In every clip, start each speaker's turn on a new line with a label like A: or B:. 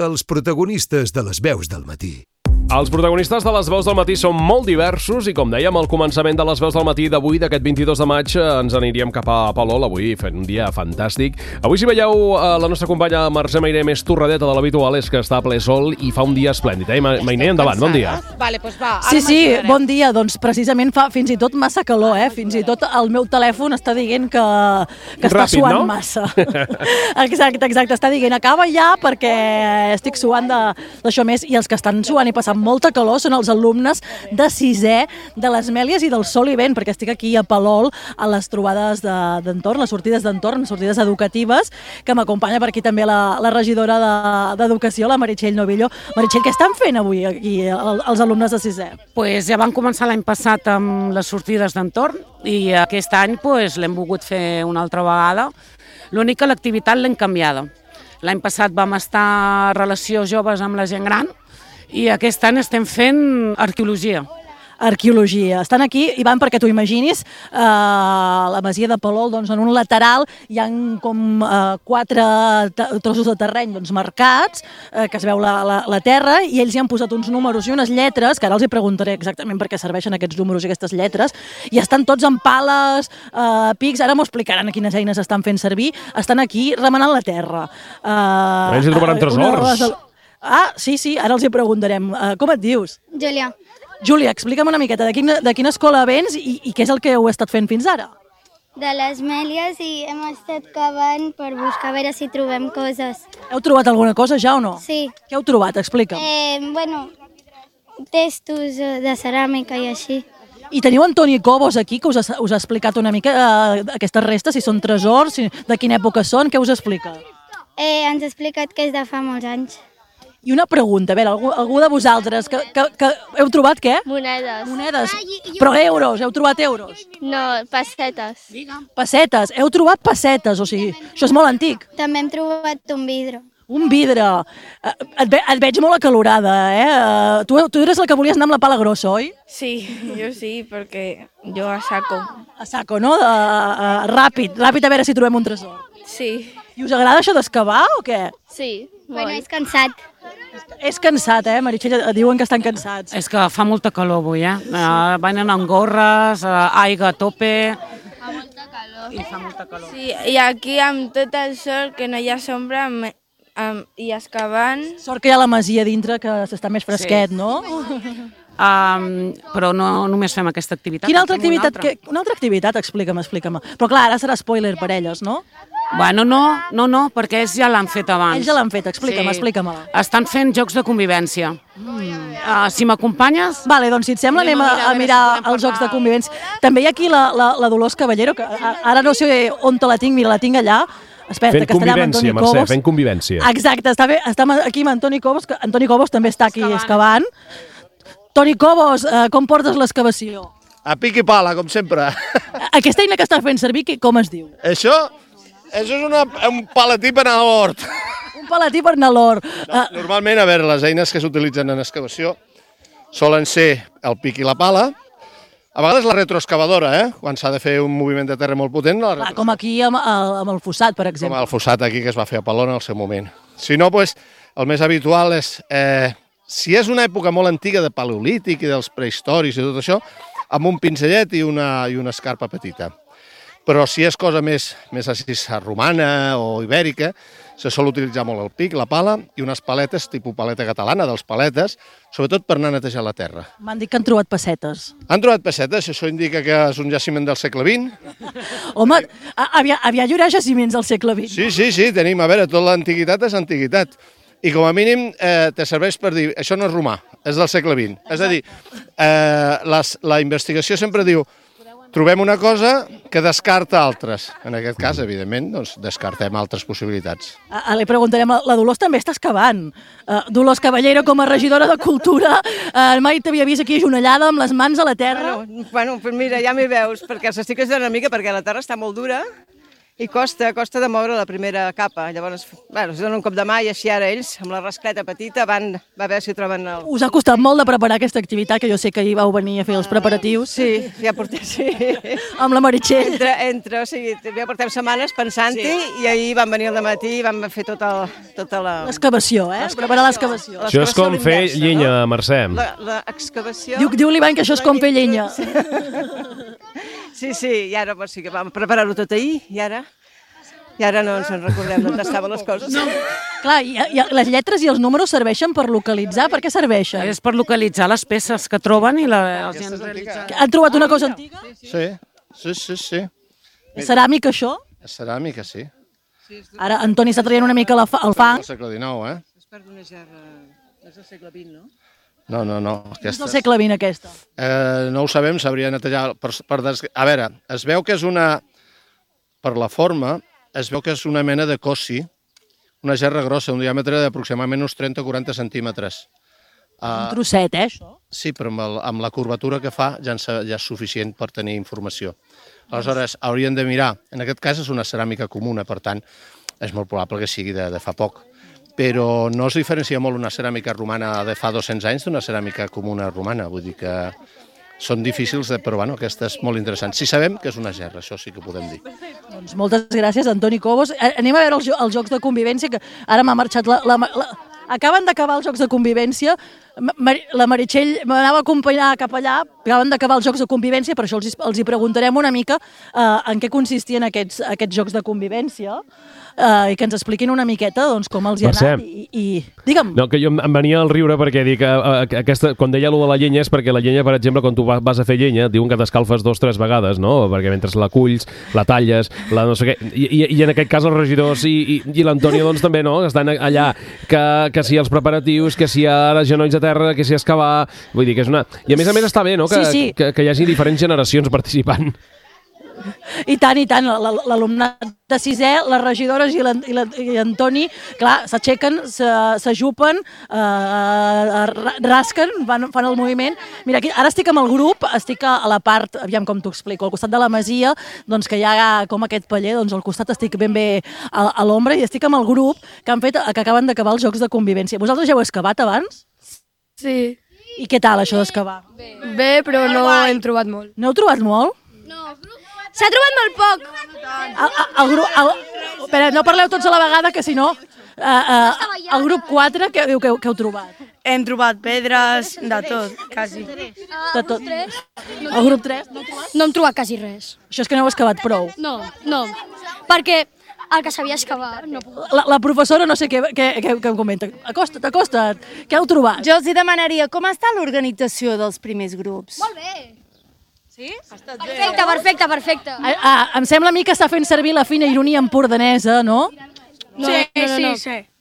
A: els protagonistes de les veus del matí.
B: Els protagonistes de les veus del matí són molt diversos i, com dèiem, al començament de les veus del matí d'avui, d'aquest 22 de maig, ens aniríem cap a Palol, avui fent un dia fantàstic. Avui, si veieu, la nostra companya Mercè Mainer més torradeta de l'habitual és que està a ple sol i fa un dia esplèndid. Mainer, endavant, bon dia.
C: Vale, doncs va.
D: Sí, bon dia. Doncs precisament fa fins i tot massa calor, Fins i tot el meu telèfon està dient que està suant massa. Exacte. Està dient acaba ja perquè estic suant d'això més, i els que estan suant i passant molta calor són els alumnes de 6è de les Mèlies i del Sol i Vent, perquè estic aquí a Palol a les trobades d'entorn, les sortides d'entorn, sortides educatives, que m'acompanya per aquí també la regidora d'Educació, la Meritxell Novillo. Meritxell, què estan fent avui aquí els alumnes de 6è?
C: Pues ja van començar l'any passat amb les sortides d'entorn i aquest any l'hem volgut fer una altra vegada. L'únic que l'activitat l'hem canviada. L'any passat vam estar a relació joves amb la gent gran i aquest any estem fent arqueologia.
D: Estan aquí i van, perquè t'ho imaginis, la masia de Palol, doncs en un lateral hi ha com 4 trossos de terreny marcats, que es veu la terra, i ells hi han posat uns números i unes lletres, que ara els hi preguntaré exactament per què serveixen aquests números i aquestes lletres, i estan tots amb pales, pics, ara m'ho explicaran quines eines estan fent servir, estan aquí remenant la terra.
B: Ells hi trobaran tresors.
D: Sí, ara els hi preguntarem. Com et dius?
E: Júlia.
D: Júlia, explica'm una miqueta de quina escola vens i què és el que heu estat fent fins ara?
E: De les Mèlies, i hem estat cavant per buscar a veure si trobem coses.
D: Heu trobat alguna cosa ja o no?
E: Sí.
D: Què heu trobat? Explica'm.
E: Testos de ceràmica i així.
D: I teniu Antoni Cobos aquí, que us ha explicat una mica aquestes restes, si són tresors, de quina època són, què us explica?
E: Ens ha explicat que és de fa molts anys.
D: I una pregunta, a veure, algú de vosaltres, que heu trobat què?
E: Monedes.
D: Monedes, però euros, heu trobat euros?
E: No, pessetes.
D: Pessetes, heu trobat pessetes, o sigui, això és molt antic.
E: També hem trobat un vidre.
D: Un vidre. Et veig molt acalorada, Tu eres la que volies anar amb la pala grossa, oi?
F: Sí, jo sí, perquè jo a saco.
D: A saco, no? Ràpid a veure si trobem un tresor.
F: Sí.
D: I us agrada això d'excavar o què?
F: Sí,
E: molt. És cansat.
D: És cansat, Meritxell? Diuen que estan cansats.
C: És que fa molta calor avui, Venen amb gorres, aigua a tope.
F: Fa molta calor.
C: I fa molta calor.
F: Sí, i aquí amb tot el sol, que no hi ha sombra, i excavant.
D: Sort que hi ha la masia dintre, que s'està més fresquet, no?
C: Però no només fem aquesta activitat.
D: Quina altra activitat? Una altra activitat? Explica-me. Però clar, ara serà spoiler per elles, no?
C: Bueno, no, perquè ells ja l'han fet abans.
D: Ells ja l'han fet, explica-me-la.
C: Estan fent jocs de convivència. Si m'acompanyes...
D: Vale, doncs si et sembla anem a mirar els jocs de convivència. També hi ha aquí la Dolors Caballero, que ara no sé on te la tinc, mira, la tinc allà.
B: Fent convivència, Mercè, fent convivència.
D: Exacte, estem aquí amb Antoni Cobos, que Antoni Cobos també està aquí excavant. Toni Cobos, com portes l'excavació?
G: A pic i pala, com sempre.
D: Aquesta eina que està fent servir, com es diu?
G: Això és un paletí per anar a l'hort.
D: Un paletí per anar a l'hort.
G: Normalment, a veure, les eines que s'utilitzen en excavació solen ser el pic i la pala. A vegades la retroexcavadora, quan s'ha de fer un moviment de terra molt potent.
D: Com aquí amb el fossat, per exemple.
G: Com el fossat aquí que es va fer a Palol en el seu moment. Si no, el més habitual és, si és una època molt antiga de paleolític i dels prehistòrics i tot això, amb un pinzellet i una escarpa petita. Però si és cosa més així romana o ibèrica, se sol utilitzar molt el pic, la pala i unes paletes, tipus paleta catalana, dels paletes, sobretot per anar a netejar la terra.
D: M'han dit que han trobat pessetes.
G: Han trobat pessetes, això indica que és un jaciment del segle XX.
D: Home, havia haurà jaciments del segle XX.
G: Sí, tenim, a veure, tota l'antiguitat és antiguitat. I com a mínim te serveix per dir, això no és romà, és del segle XX. És a dir, la investigació sempre diu, trobem una cosa que descarta altres. En aquest cas, evidentment, doncs, descartem altres possibilitats.
D: Li preguntarem, la Dolors també està excavant. Dolors Caballero, com a regidora de Cultura, mai t'havia vist aquí ajonellada amb les mans a la terra?
H: Bueno, mira, ja m'hi veus, perquè s'estic ajudant una mica, perquè la terra està molt dura I costa de moure la primera capa. Llavors, bueno, es dona un cop de mà i així ara ells, amb la rascleta petita, van a veure si troben el...
D: Us ha costat molt de preparar aquesta activitat, que jo sé que hi vau venir a fer els preparatius.
H: Sí, ja portem, sí.
D: Amb la Meritxell.
H: O sigui, ja portem setmanes pensant-hi i ahir vam venir al matí i vam fer tota la...
D: L'excavació, preparar l'excavació.
B: Això és com fer llenya, Mercè.
H: L'excavació...
D: Diu l'Ivan que això és com fer llenya.
H: Sí, i ara sí que vam preparar-ho tot ahir i ara no ens en recordem d'on estaven les coses. No.
D: Clar, i les lletres i els números serveixen per localitzar? Per què serveixen?
C: És per localitzar les peces que troben i la gent realitza.
D: Han trobat una cosa antiga?
G: Sí.
D: És ceràmica, això?
G: És ceràmica, sí.
D: Ara Antoni està traient una mica el fang.
G: És del segle XIX,
H: És part d'una gerra... És del segle XX, no?
G: No.
D: És del segle XX, aquesta.
G: No ho sabem, s'hauria de netejar. A veure, es veu que és una... Per la forma, es veu que és una mena de cossi, una gerra grossa, un diàmetre d'aproximadament uns 30 o 40 centímetres.
D: Un trosset, això?
G: Sí, però amb la curvatura que fa ja és suficient per tenir informació. Aleshores, haurien de mirar. En aquest cas és una ceràmica comuna, per tant, és molt probable que sigui de fa poc. Però no es diferencia molt una ceràmica romana de fa 200 anys d'una ceràmica comuna romana. Vull dir que són difícils, però bueno, aquesta és molt interessant. Si sabem que és una gerra, això sí que podem dir.
D: Doncs moltes gràcies, Antoni Cobos. Anem a veure els jocs de convivència, que ara m'ha marxat Acaben d'acabar els jocs de convivència. La Meritxell m'anava a acompanyar cap allà. Acaben d'acabar els jocs de convivència, per això els hi preguntarem una mica en què consistien aquests jocs de convivència i que ens expliquin una miqueta com els hi ha anat. Digue'm.
B: No, que jo em venia al riure perquè dic que quan deia allò de la llenya és perquè la llenya, per exemple, quan tu vas a fer llenya, diuen que t'escalfes 2 o 3 vegades, no? Perquè mentre la culls, la talles, la no sé què... I en aquest cas els regidors i l'Antònia doncs també, no? Estan allà, que si els preparatius, que si ara genolls a terra, que si excavar... Vull dir que és una... I a més està bé, no? Que hi hagi diferents generacions participant.
D: I tant, l'alumnat de 6è, les regidores i l'Antoni, clar, s'aixequen, s'ajupen, rasquen, fan el moviment. Mira, aquí, ara estic amb el grup, estic a la part, aviam com t'ho explico, al costat de la masia, doncs que hi ha com aquest paller, doncs al costat estic ben bé a l'ombra i estic amb el grup que acaben d'acabar els jocs de convivència. Vosaltres ja heu excavat abans?
I: Sí.
D: I què tal, això d'excavar?
I: Bé, però no hem trobat molt.
D: No heu trobat molt?
I: No. S'ha trobat molt poc.
D: Espera, no parleu tots a la vegada, que si no... El grup 4, què heu trobat?
F: Hem trobat pedres, de tot, quasi.
D: De tot. El grup 3?
I: No hem trobat quasi res.
D: Això és que no heu excavat prou?
I: No, perquè el que sabia excavar no puc.
D: La professora no sé què em comenta. Acosta't, què heu trobat?
J: Jo els hi demanaria com està l'organització dels primers grups.
I: Molt bé. Sí? Perfecte.
D: Em sembla a mi que està fent servir la fina ironia empordanesa, no?
I: Sí.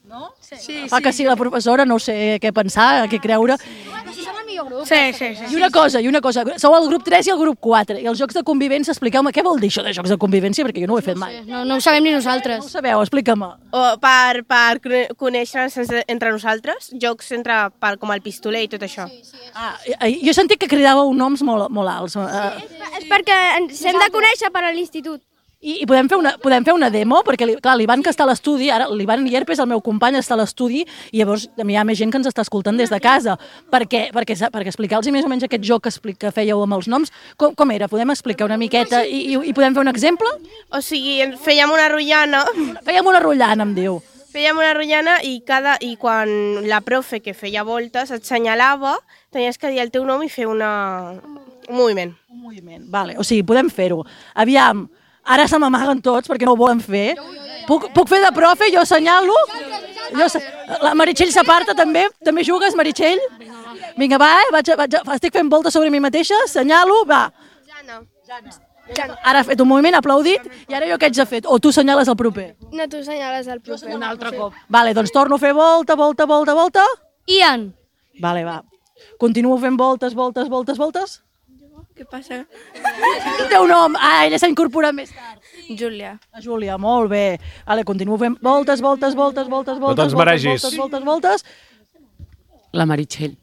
D: No? Sí. Que sí, la professora, no sé què pensar, què creure.
I: Però si som el millor grup.
J: Sí.
D: I una cosa, sou el grup 3 i el grup 4, i els jocs de convivència, expliqueu-me, què vol dir això de jocs de convivència? Perquè jo no ho he fet mai.
I: No ho sabem ni nosaltres.
D: No ho sabeu, explica-me.
J: Per conèixer-nos entre nosaltres, jocs com el pistoler i tot això.
D: Jo he sentit que cridàveu noms molt alts.
I: És perquè ens hem de conèixer per a l'institut.
D: I podem fer una demo? Perquè, clar, l'Ivan que està a l'estudi, ara l'Ivan Llerpes, el meu company, està a l'estudi, i llavors hi ha més gent que ens està escoltant des de casa. Perquè explicar-los més o menys aquest joc que fèieu amb els noms, com era? Podem explicar una miqueta i podem fer un exemple?
J: O sigui, fèiem una rotllana.
D: Fèiem una rotllana, em diu.
J: Fèiem una rotllana i quan la profe que feia voltes et senyalava, tenies que dir el teu nom i fer un moviment.
D: Un moviment, vale. O sigui, podem fer-ho. Aviam, ara se m'amaguen tots perquè no ho volen fer. Puc fer de profe? Jo assenyalo? La Meritxell s'aparta també? També jugues, Meritxell? Vinga, va, estic fent voltes sobre mi mateixa, assenyalo, va. Ara ha fet un moviment, ha aplaudit, i ara jo què haig de fer? O tu assenyales el proper?
I: No, tu assenyales el proper.
D: Un altre cop. Vale, doncs torno a fer volta.
I: Ian.
D: Vale, va. Continuo fent voltes.
F: Què passa?
D: El teu nom? Ella s'ha incorporat més tard.
F: Júlia.
D: Júlia, molt bé. Vale, continuo fent voltes.
B: No te'ns maregis.
D: Voltes.
C: La Meritxell.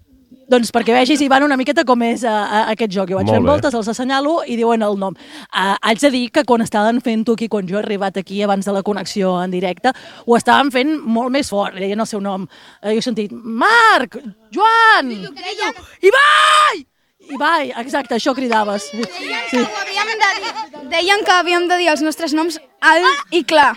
D: Doncs perquè vegis, Ivan, una miqueta com és aquest joc. Jo vaig fent voltes, els assenyalo i diuen el nom. Haig de dir que quan estaven fent-ho aquí, quan jo he arribat aquí abans de la connexió en directe, ho estaven fent molt més fort, deien el seu nom. Jo he sentit, Marc, Joan, Ibai, exacte, això cridaves.
I: Deien que havíem de dir els nostres noms alt i clar.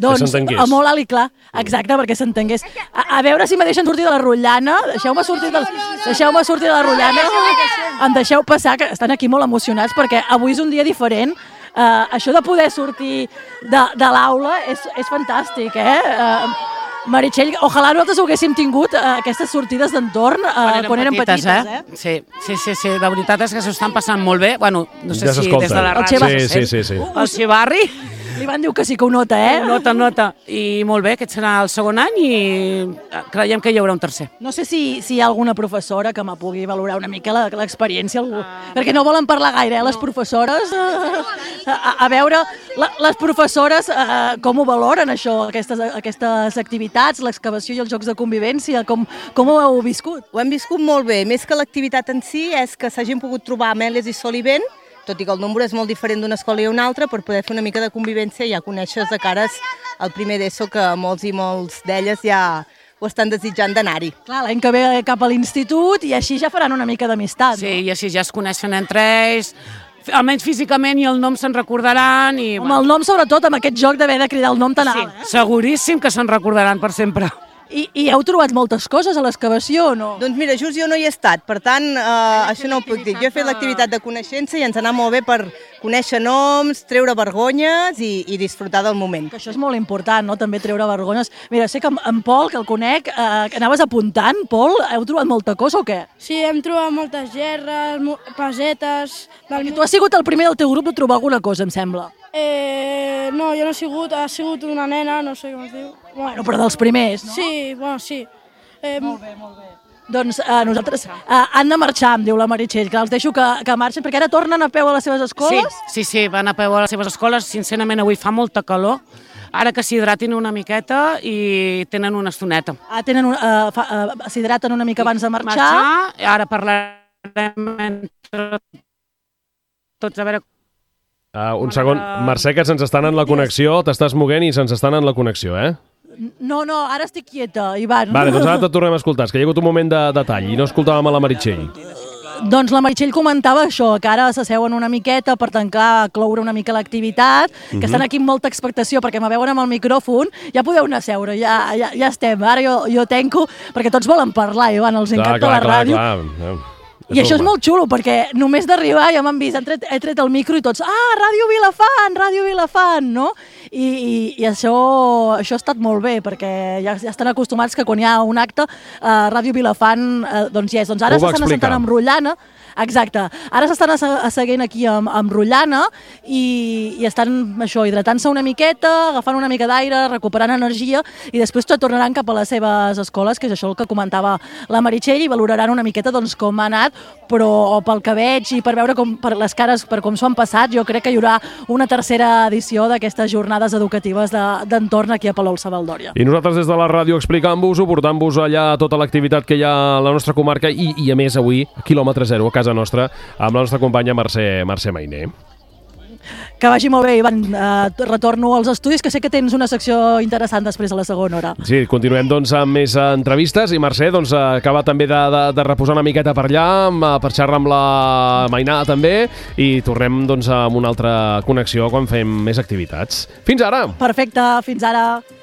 D: Doncs, molt alt i clar, exacte, perquè s'entengués. A veure si me deixen sortir de la rotllana. Deixeu-me sortir de la rotllana. Em deixeu passar, que estan aquí molt emocionats, perquè avui és un dia diferent. Això de poder sortir de l'aula és fantàstic, Meritxell, ojalà nosaltres ho haguéssim tingut, aquestes sortides d'entorn, quan érem petites,
C: Sí, la veritat és que s'ho estan passant molt bé. Bueno, no sé si des de la ràdio.
B: Sí.
C: El Xivarri.
D: Li van dir que sí que ho nota,
C: Nota. I molt bé, aquest serà el segon any i creiem que hi haurà un tercer.
D: No sé si hi ha alguna professora que me pugui valorar una mica l'experiència, perquè no volen parlar gaire, les professores. A veure, les professores com ho valoren, això, aquestes activitats, l'excavació i els jocs de convivència, com ho heu viscut?
H: Ho hem viscut molt bé, més que l'activitat en si és que s'hagin pogut trobar amèlies i solivent, tot i que el nombre és molt diferent d'una escola i una altra, per poder fer una mica de convivència i ja conèixer de cares al primer d'ESO, que molts i molts d'elles ja ho estan desitjant d'anar-hi.
D: Clar, l'any que ve cap a l'institut i així ja faran una mica d'amistat.
C: Sí, i així ja es coneixen entre ells, almenys físicament, i el nom se'n recordaran.
D: Amb el nom, sobretot, amb aquest joc d'haver de cridar el nom tan alt.
C: Seguríssim que se'n recordaran per sempre.
D: I heu trobat moltes coses a l'excavació o no?
H: Doncs mira, just jo no hi he estat, per tant, això no ho puc dir. Jo he fet l'activitat de coneixença i ens ha anat molt bé per conèixer noms, treure vergonyes i disfrutar del moment.
D: Que això és molt important, no?, també treure vergonyes. Mira, sé que en Pol, que el conec, que anaves apuntant. Pol, heu trobat molta cosa o què?
K: Sí, hem trobat moltes gerres, pesetes...
D: Perquè tu has sigut el primer del teu grup de trobar alguna cosa, em sembla.
K: No, jo no ha sigut una nena, no sé com es diu.
D: Bueno, però dels primers, no?
K: Sí, bueno, sí.
D: Molt bé. Doncs nosaltres han de marxar, em diu la Meritxell, que els deixo que marxin, perquè ara tornen a peu a les seves escoles?
C: Sí, van a peu a les seves escoles. Sincerament, avui fa molta calor. Ara que s'hidratin una miqueta i tenen una estoneta.
D: S'hidraten una mica abans de marxar.
C: Ara parlarem entre tots, a veure...
B: Un segon. Mercè, que se'ns estan en la connexió, t'estàs moguent i se'ns estan en la connexió,
D: No, ara estic quieta, Ivan.
B: Vale, doncs ara et tornem a escoltar, és que hi ha hagut un moment de tall i no escoltàvem a la Meritxell.
D: Doncs la Meritxell comentava això, que ara s'asseuen una miqueta per tancar, cloure una mica l'activitat, que estan aquí amb molta expectació, perquè me veuen amb el micròfon, ja podeu anar a seure, ja estem. Ara jo tanco, perquè tots volen parlar, Ivan, els encanta la ràdio. Clar. I això és molt xulo, perquè només d'arribar ja m'han vist, he tret el micro i tots, Ràdio Vilafant, no? I això ha estat molt bé, perquè ja estan acostumats que quan hi ha un acte, Ràdio Vilafant, doncs ja és. Doncs ara s'estan assentant amb rotllana, exacte, ara s'estan asseguent aquí amb rotllana i estan hidratant-se una miqueta, agafant una mica d'aire, recuperant energia i després tornaran cap a les seves escoles, que és això el que comentava la Meritxell, i valoraran una miqueta doncs com ha anat, però pel que veig i per veure per les cares, per com s'ho han passat, jo crec que hi haurà una tercera edició d'aquestes jornades educatives d'entorn aquí a Palol-Savaldòria.
B: I nosaltres des de la ràdio explicant-vos-ho, portant-vos allà tota l'activitat que hi ha a la nostra comarca i a més avui, quilòmetre zero, a casa nostra, amb la nostra companya Mercè Mainer.
D: Que vagi molt bé, Ivan. Retorno als estudis, que sé que tens una secció interessant després a la segona hora.
B: Sí, continuem doncs amb més entrevistes i Mercè doncs acaba també de reposar una miqueta per allà, per xerrar amb la Mainà també, i tornem doncs amb una altra connexió quan fem més activitats. Fins ara!
D: Perfecte, fins ara!